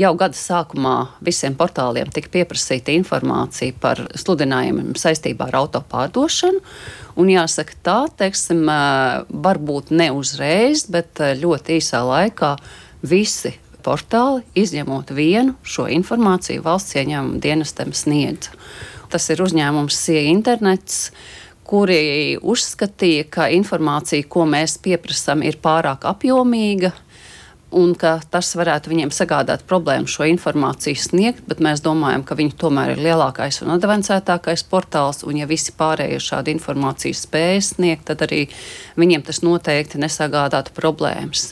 Jau gada sākumā visiem portāliem tika pieprasīta informācija par sludinājumiem saistībā ar auto pārdošanu. Un jāsaka tā, teiksim, varbūt ne uzreiz, bet ļoti īsā laikā visi portāli, izņemot vienu, šo informāciju valsts ieņēmuma dienestam sniedza. Tas ir uzņēmums SIA Internets, kuri uzskatīja, ka informācija, ko mēs pieprasām, ir pārāk apjomīga, un ka tas varētu viņiem sagādāt problēmu šo informāciju sniegt, bet mēs domājam, ka viņi tomēr ir lielākais un advancētākais portāls, un ja visi pārējie šādu informāciju spēj sniegt, tad arī viņiem tas noteikti nesagādātu problēmas.